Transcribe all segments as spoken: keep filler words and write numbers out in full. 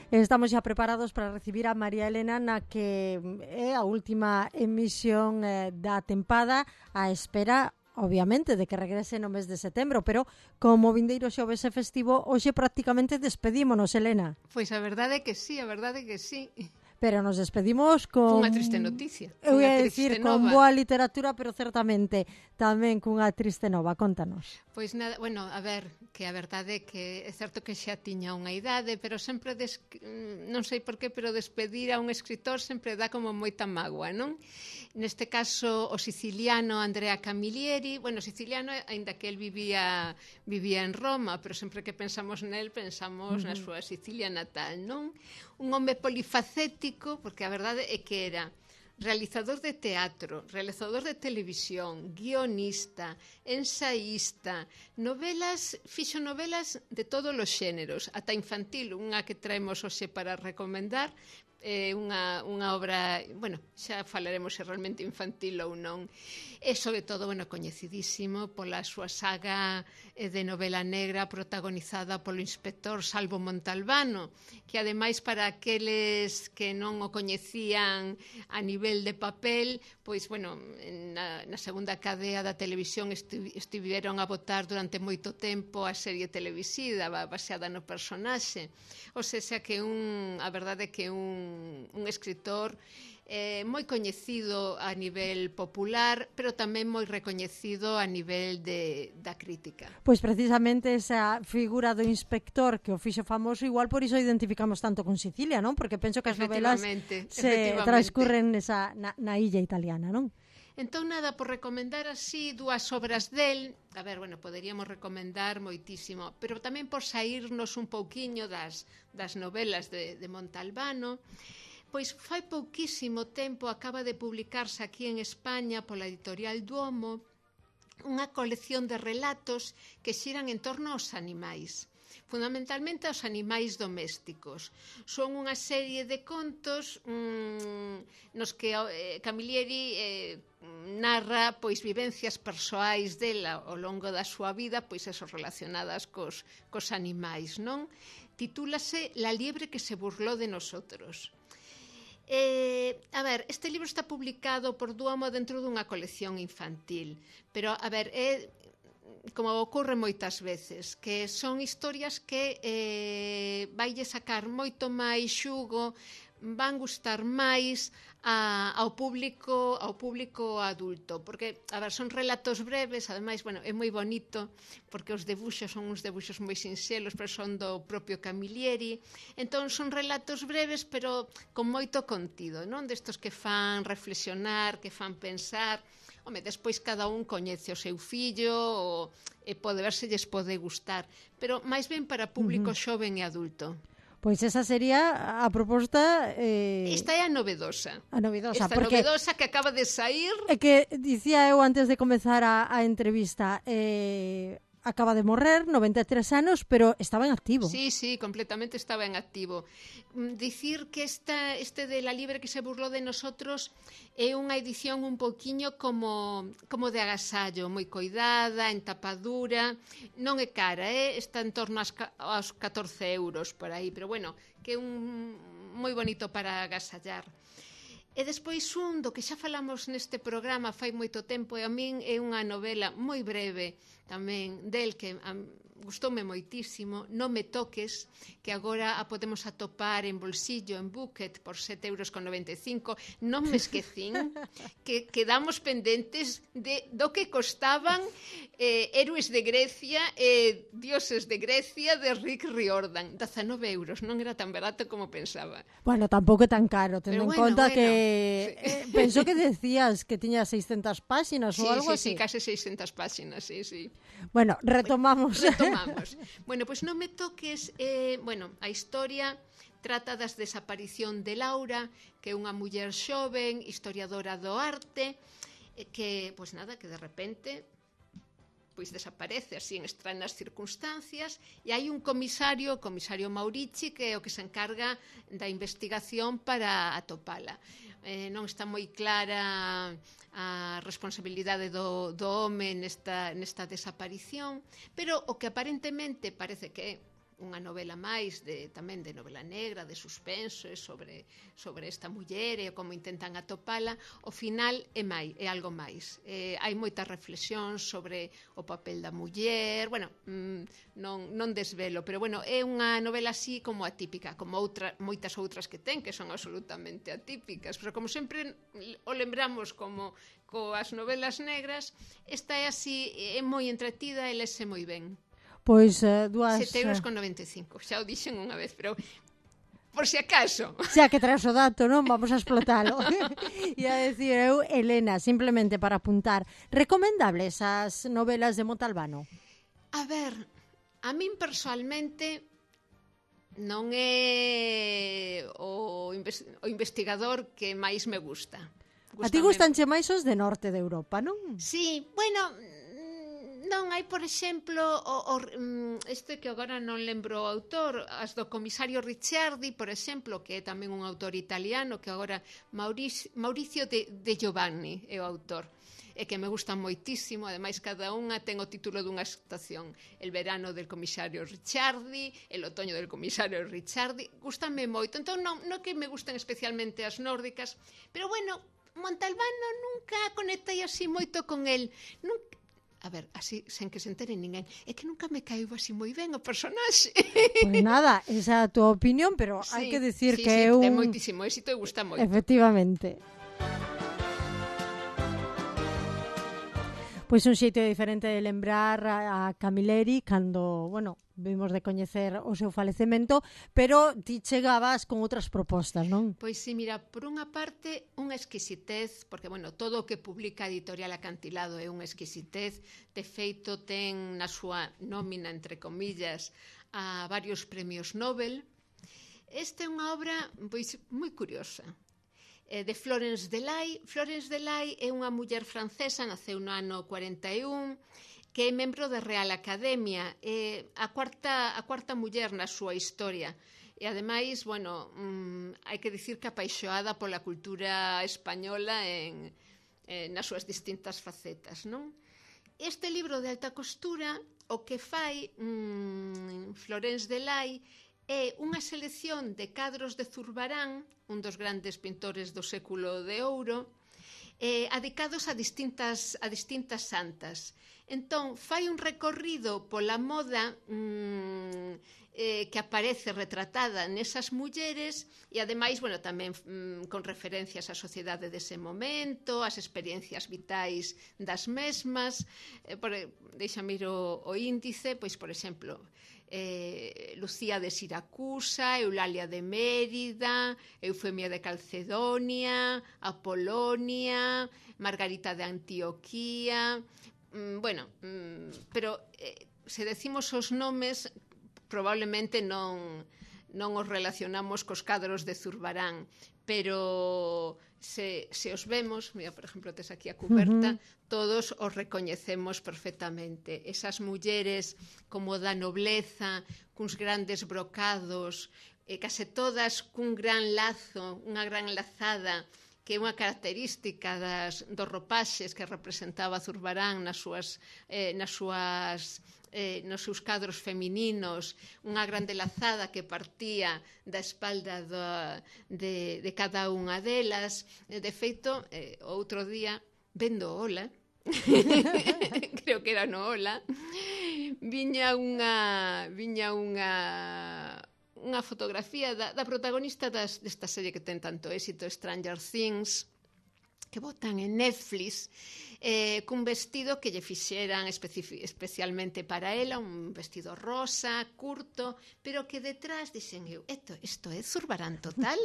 Estamos xa preparados para recibir a María Elena na que é a última emisión eh, da tempada á espera, obviamente, de que regrese no mes de setembro, pero como vindeiro xoves é festivo, hoxe prácticamente despedímonos, Elena. Pois a verdade é que sí, a verdade é que sí. Pero nos despedimos con... Unha triste noticia. Eu ia dicir, con boa literatura, pero certamente tamén cunha triste nova. Contanos. Pois nada, bueno, a ver, que a verdade é que é certo que xa tiña unha idade, pero sempre, des... non sei por qué, pero despedir a un escritor sempre dá como moita mágoa, non? Neste caso, o siciliano Andrea Camilleri, bueno, siciliano, aínda que el vivía vivía en Roma, pero sempre que pensamos nel, pensamos uh-huh. na súa Sicilia natal, non? Un home polifacético, porque a verdade é que era realizador de teatro, realizador de televisión, guionista, ensaísta, novelas, fixo novelas de todos os xéneros, ata infantil, unha que traemos hoxe para recomendar, é unha, unha obra, bueno, xa falaremos se realmente infantil ou non, e sobre todo, bueno, coñecidísimo pola súa saga de novela negra protagonizada polo inspector Salvo Montalbano, que ademais para aqueles que non o coñecían a nivel de papel, pois, bueno, na, na segunda cadea da televisión esti, estiveron a botar durante moito tempo a serie televisiva baseada no personaxe, ou seja que un, a verdade é que un un escritor eh, moi coñecido a nivel popular, pero tamén moi recoñecido a nivel de, da crítica. Pois precisamente esa figura do inspector que o fixo famoso, igual por iso identificamos tanto con Sicilia, non? Porque penso que as novelas se transcurren nesa, na, na illa italiana, non? Entón, nada, por recomendar así dúas obras del, a ver, bueno, poderíamos recomendar moitísimo, pero tamén por saírnos un pouquiño das, das novelas de, de Montalbano, pois fai pouquísimo tempo acaba de publicarse aquí en España pola editorial Duomo unha colección de relatos que xiran en torno aos animais, fundamentalmente aos animais domésticos. Son unha serie de contos mmm, nos que eh, Camilleri eh, narra pois vivencias persoais dela ao longo da súa vida, pois eso relacionadas cos, cos animais, non? Titúlase La liebre que se burló de nosotros. Eh, a ver, este libro está publicado por Duomo dentro dunha colección infantil, pero, a ver, é como ocorre moitas veces, que son historias que eh, vaille sacar moito máis xugo, van gustar máis a, ao público ao público adulto, porque, a ver, son relatos breves, ademais, bueno, é moi bonito, porque os debuxos son uns debuxos moi sinxelos, pero son do propio Camilleri, entón son relatos breves, pero con moito contido, non? Destos que fan reflexionar, que fan pensar. Home, despois cada un coñece o seu fillo ou, e pode ver se lles pode gustar, pero máis ben para público uh-huh. xoven e adulto. Pois esa sería a proposta... Eh... Esta é a novedosa. A novedosa, Esta porque... novedosa que acaba de sair... É que dicía eu antes de comezar a, a entrevista... Eh... Acaba de morrer, noventa e tres anos, pero estaba en activo. Sí, sí, completamente estaba en activo. Dicir que esta, este de La liebre que se burló de nosotros é unha edición un poquiño como, como de agasallo, moi coidada, en tapadura, non é cara, eh? Está en torno aos, aos catorce euros por aí, pero bueno, que é un moi bonito para agasallar. E despois un do que xa falamos neste programa fai moito tempo, e a min é unha novela moi breve tamén del que um, gustoume moitísimo, Non me toques, que agora a podemos atopar en bolsillo, en Bucket, por sete euros con noventa e cinco. Non me esquecín que quedamos pendentes de do que costaban eh, Héroes de Grecia e eh, Dioses de Grecia de Rick Riordan. dezanove euros, non era tan barato como pensaba. Bueno, tampouco é tan caro, tendo en bueno, conta bueno, que sí. eh, penso que decías que tiña seiscentas páxinas sí, ou algo sí, así. Sí, case seiscentas páxinas, sí, sí. Bueno, retomamos. Retomamos. Bueno, pois pues Non me toques, eh, bueno, a historia trata das desaparición de Laura, que é unha muller xoven, historiadora do arte, que, pois pues nada, que de repente pois desaparece así en extrañas circunstancias, e hai un comisario, o comisario Maurici, que é o que se encarga da investigación para atopala. Eh, non está moi clara a responsabilidade do, do home nesta, nesta desaparición, pero o que aparentemente parece que unha novela máis de, tamén de novela negra, de suspenso, sobre, sobre esta muller e como intentan atopala, ao final é máis, é algo máis. Eh, hai moitas reflexións sobre o papel da muller, bueno, mm, non, non desvelo, pero bueno, é unha novela así como atípica, como outra, moitas outras que ten, que son absolutamente atípicas, pero como sempre o lembramos como coas novelas negras, esta é así, é moi entretida e lese moi ben. Pois uh, dúas... sete euros con noventa e cinco, xa o dixen unha vez, pero por si acaso. Xa que traes o dato, non? Vamos a explotalo. E a decir eu, Elena, simplemente para apuntar, recomendables as novelas de Montalbano? A ver, a min personalmente non é o, invest o investigador que máis me gusta. Gústame... A ti gustanche máis os de norte de Europa, non? Sí, bueno, non, hai, por exemplo, o, o, este que agora non lembro o autor, as do comisario Ricciardi, por exemplo, que é tamén un autor italiano, que agora Mauricio, Mauricio de, de Giovanni é o autor, e que me gustan moitísimo, ademais cada unha ten o título dunha estación, el verano del comisario Ricciardi, el otoño del comisario Ricciardi, gustanme moito, entón non, non que me gusten especialmente as nórdicas, pero bueno, Montalbano nunca conectei así moito con el, nunca. A ver, así, sen que se entere ninguén, é que nunca me caiu así moi ben o personaxe. Pois nada, esa é a tua opinión, pero sí, hai que decir sí, que sí, é un... ten moitísimo éxito e gusta moito. Efectivamente. Pois un xeito diferente de lembrar a Camilleri cando, bueno, vimos de coñecer o seu falecemento, pero ti chegabas con outras propostas, non? Pois sí, mira, por unha parte, unha exquisitez, porque, bueno, todo o que publica a editorial Acantilado é unha exquisitez, de feito ten na súa nómina, entre comillas, a varios premios Nobel. Esta é unha obra, pois, moi curiosa, de Florence Delay. Florence Delay é unha muller francesa, naceu no ano cuarenta e un, que é membro da Real Academia, é a cuarta, a cuarta muller na súa historia. E ademais, bueno, mmm, hai que dicir que apaixoada pola cultura española en, en, nas súas distintas facetas, non? Este libro de alta costura, o que fai mmm, Florence Delay, é unha selección de cadros de Zurbarán, un dos grandes pintores do século de ouro, eh, adicados a distintas, a distintas santas. Entón, fai un recorrido pola moda mmm, eh, que aparece retratada nesas mulleres e, ademais, bueno, tamén mmm, con referencias á sociedade dese momento, as experiencias vitais das mesmas. Eh, por, deixame ir o, o índice, pois, por exemplo, Eh, Lucía de Siracusa, Eulalia de Mérida, Eufemia de Calcedonia, Apolonia, Margarita de Antioquía, mm, bueno, mm, pero eh, se decimos os nomes probablemente non, non os relacionamos cos cadros de Zurbarán, pero se, se os vemos, mira, por exemplo, tes aquí a cuberta, uh-huh. todos os recoñecemos perfectamente. Esas mulleres como da nobleza, cuns grandes brocados, eh, case todas cun gran lazo, unha gran lazada, que é unha característica das, dos ropaxes que representaba Zurbarán nas súas, eh, nas súas eh, nos seus cadros femininos, unha grande lazada que partía da espalda do, de, de cada unha delas. De feito, eh, outro día, vendo Ola, creo que era no Ola, viña unha viña unha unha fotografía da, da protagonista das, desta serie que ten tanto éxito, Stranger Things, que botan en Netflix, eh, cun vestido que lle fixeran especialmente para ela, un vestido rosa, curto, pero que detrás dixen eu, esto, esto é Zurbarán total.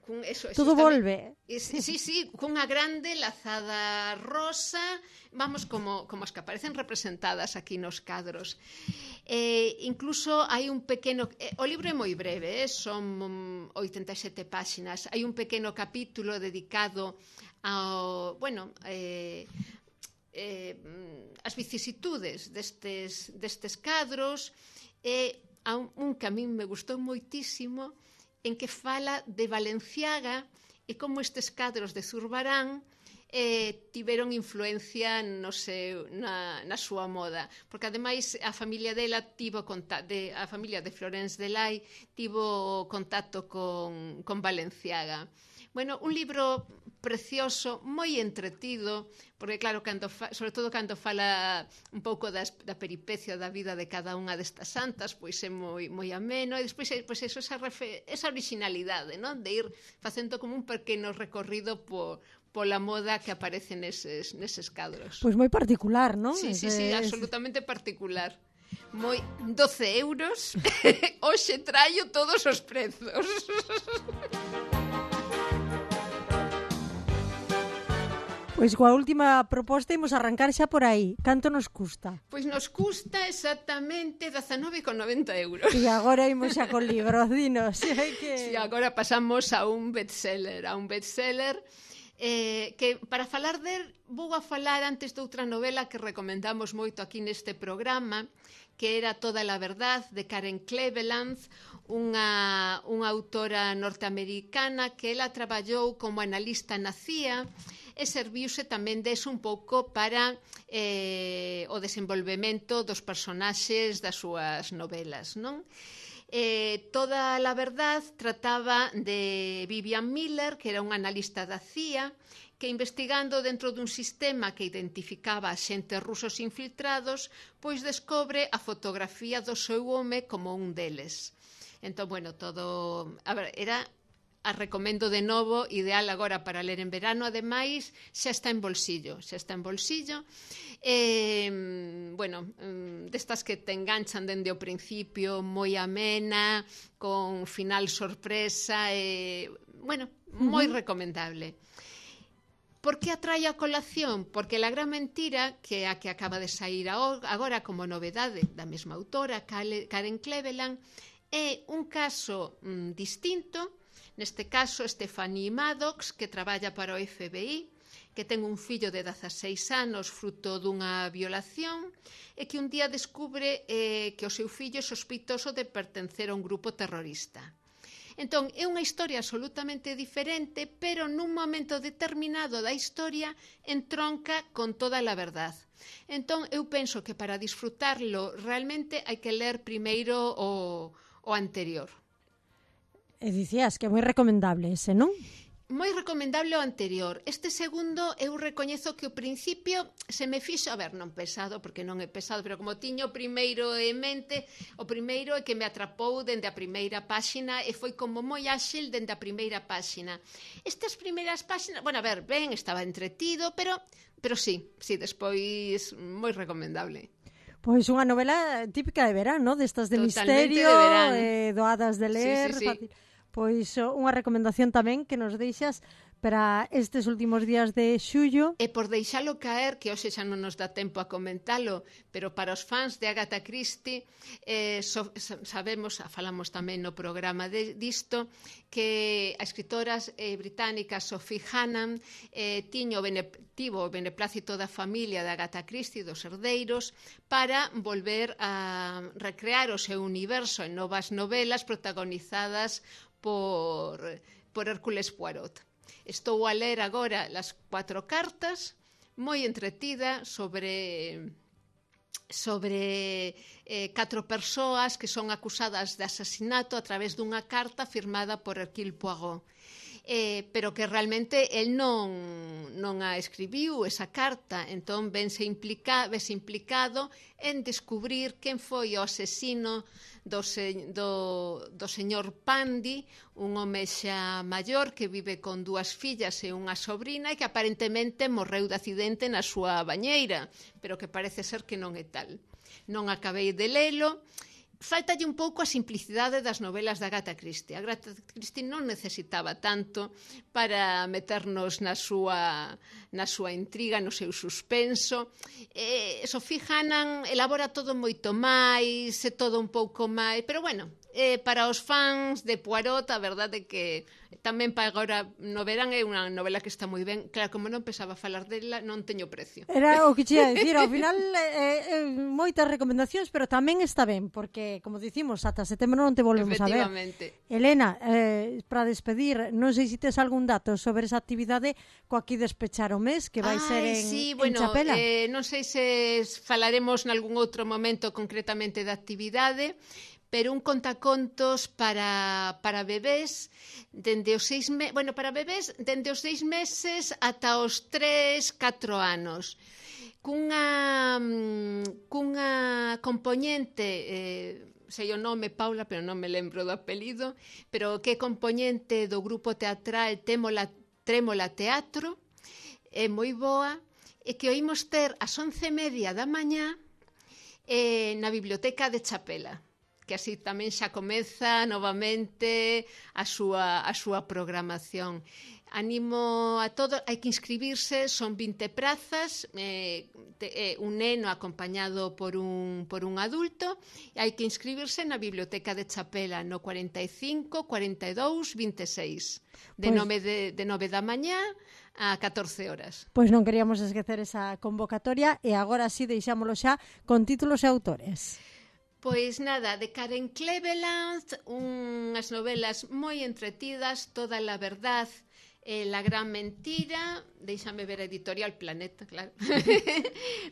Cun, eso, eso todo volve. Es, sí, sí, cunha grande lazada rosa, vamos, como, como as que aparecen representadas aquí nos cadros. Eh, incluso hai un pequeno... Eh, o libro é moi breve, eh, son oitenta e sete páxinas. Hai un pequeno capítulo dedicado ao, bueno, eh, eh, as vicisitudes destes, destes cadros, e a un, un que a min me gustou moitísimo, en que fala de Valenciaga e como estes cadros de Zurbarán eh, tiveron influencia no seu, na, na súa moda, porque ademais a familia dela tivo conta, de, a familia de Florence Delay tivo contacto con, con Balenciaga. Bueno, un libro precioso, moi entretido, porque claro, cando fa, sobre todo cando fala un pouco das, da peripecia da vida de cada unha destas santas, pois é moi, moi ameno, e despois pois eso, esa, refe, esa originalidade, non? De ir facendo como un pequeno recorrido por pola moda que aparece neses, neses cadros. Pois moi particular, non? Sí, sí, sí, absolutamente particular. Moi doce euros, hoxe traio todos os prezos. Pois coa última proposta imos arrancar xa por aí. Canto nos custa? Pois nos custa exactamente dezanove con noventa euros. E agora imos xa con libros, dinos. Que... Sí, agora pasamos a un bestseller, a un bestseller eh, que para falar del vou a falar antes de outra novela que recomendamos moito aquí neste programa, que era Toda la verdad, de Karen Cleveland, unha, unha autora norteamericana que ela traballou como analista na C I A e serviuse tamén deso un pouco para eh, o desenvolvemento dos personaxes das súas novelas, non? Eh, Toda la verdad trataba de Vivian Miller, que era un analista da C I A, que investigando dentro dun sistema que identificaba a xentes rusos infiltrados, pois descobre a fotografía do seu home como un deles. Entón, bueno, todo... A ver, era... A recomendo de novo, ideal agora para ler en verano, ademais, xa está en bolsillo, xa está en bolsillo. Eh, bueno, destas que te enganchan dende o principio, moi amena, con final sorpresa, eh, bueno, moi uh-huh. recomendable. Por que atrae a colación? Porque La gran mentira, que é a que acaba de sair agora como novedade da mesma autora, Karen Cleveland, é un caso mm, distinto. Neste caso, Stephanie Maddox, que traballa para o F B I, que ten un fillo de dezaseis anos fruto dunha violación e que un día descubre eh, que o seu fillo é sospitoso de pertencer a un grupo terrorista. Entón, é unha historia absolutamente diferente, pero nun momento determinado da historia entronca con Toda la verdad. Entón, eu penso que para disfrutarlo realmente hai que ler primeiro o, o anterior. E dicías que é moi recomendable ese, non? Moi recomendable o anterior. Este segundo eu recoñezo que o principio se me fixo, a ver, non pesado, porque non é pesado, pero como tiño o primeiro en mente, o primeiro é que me atrapou dende a primeira páxina e foi como moi áxil dende a primeira páxina. Estas primeiras páxinas, bueno, a ver, ben, estaba entretido, pero, pero sí, sí, despois moi recomendable. Pois unha novela típica de verán, ¿no? Destas de Totalmente misterio, de eh, doadas de ler, sí, sí, sí. fácil. Pois unha recomendación tamén que nos deixas para estes últimos días de xullo. E por deixalo caer, que hoxe xa non nos dá tempo a comentalo, pero para os fans de Agatha Christie, eh, so, sabemos, falamos tamén no programa de, disto, que a escritora eh, británica Sophie Hannam eh, tiño bene, tivo o beneplácito da familia de Agatha Christie, dos herdeiros, para volver a recrear o seu universo en novas novelas protagonizadas por, por Hércules Poirot. Estou a ler agora las cuatro cartas, moi entretida, sobre sobre eh, catro persoas que son acusadas de asasinato a través dunha carta firmada por Hercule Poirot. Eh, pero que realmente el non, non a escribiu esa carta, entón vense implica, vese implicado en descubrir quen foi o asesino do, se, do, do señor Pandy, un home xa maior que vive con dúas fillas e unha sobrina e que aparentemente morreu de accidente na súa bañeira, pero que parece ser que non é tal. Non acabei de lelo. Faltalle un pouco a simplicidade das novelas da Agatha Christie. A Agatha Christie non necesitaba tanto para meternos na súa, na súa intriga, no seu suspenso. Eh, Sophie Hannam elabora todo moito máis, é todo un pouco máis... Pero bueno, eh, para os fans de Poirot, a verdade é que tamén para agora no verán é unha novela que está moi ben. Claro, como non pensaba falar dela, non teño precio. Era o que che ia dicir, ao final eh, eh, moitas recomendacións, pero tamén está ben, porque, como dicimos, ata setembro non te volvemos a ver. Efectivamente. Elena, eh, para despedir, non sei se tes algún dato sobre esa actividade coa que despechar o mes, que vai Ai, ser en, sí, en bueno, Chapela. Eh, non sei se falaremos nalgún outro momento concretamente da actividade, pero un contacontos para, para bebés dende os seis me... bueno, para bebés dende os seis meses ata os tres, catro anos, cunha cunha componente, eh, sei o nome Paula, pero non me lembro do apelido, pero que é componente do grupo teatral Témola, Trémola Teatro, é moi boa, e que oímos ter ás once e media da mañá eh, na biblioteca de Chapela, que así tamén xa comeza novamente a súa, a súa programación. Animo a todos, hai que inscribirse, son vinte prazas, eh, te, eh, un neno acompañado por un, por un adulto, e hai que inscribirse na biblioteca de Chapela no cuarenta e cinco, cuarenta e dous, vinte e seis, de, pues, nove de, de nove da mañá a catorce horas. Pois non queríamos esquecer esa convocatoria, e agora sí deixámolo xa con títulos e autores. Pois nada, de Karen Cleveland, unhas novelas moi entretidas, Toda la verdad, eh, La gran mentira, déixame ver a editorial Planeta, claro,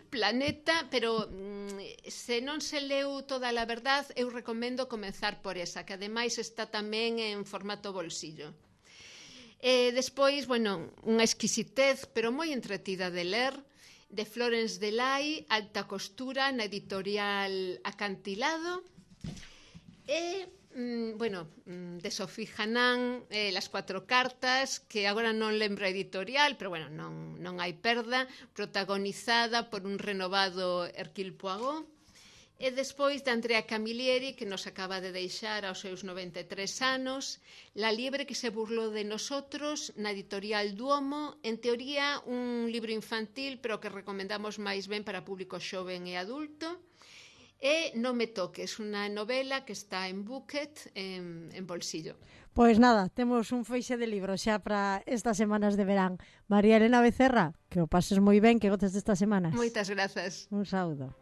Planeta, pero mm, se non se leu Toda la verdad, eu recomendo comenzar por esa, que ademais está tamén en formato bolsillo. Eh, despois, bueno, unha exquisitez, pero moi entretida de ler, de Florence Delay, Alta costura, na editorial Acantilado, e, mm, bueno, de Sofía Hanan, eh, Las cuatro cartas, que agora non lembro a editorial, pero bueno, non, non hai perda, protagonizada por un renovado Hercule Poirot, e despois de Andrea Camilleri, que nos acaba de deixar aos seus noventa e tres anos, La liebre que se burló de nosotros, na editorial Duomo, en teoría un libro infantil, pero que recomendamos máis ben para público xoven e adulto, e Non me toques, unha novela que está en Bucket, en, en bolsillo. Pois nada, temos un feixe de libros xa para estas semanas de verán. María Elena Becerra, que o pases moi ben, que goces destas semanas. Moitas grazas. Un saúdo.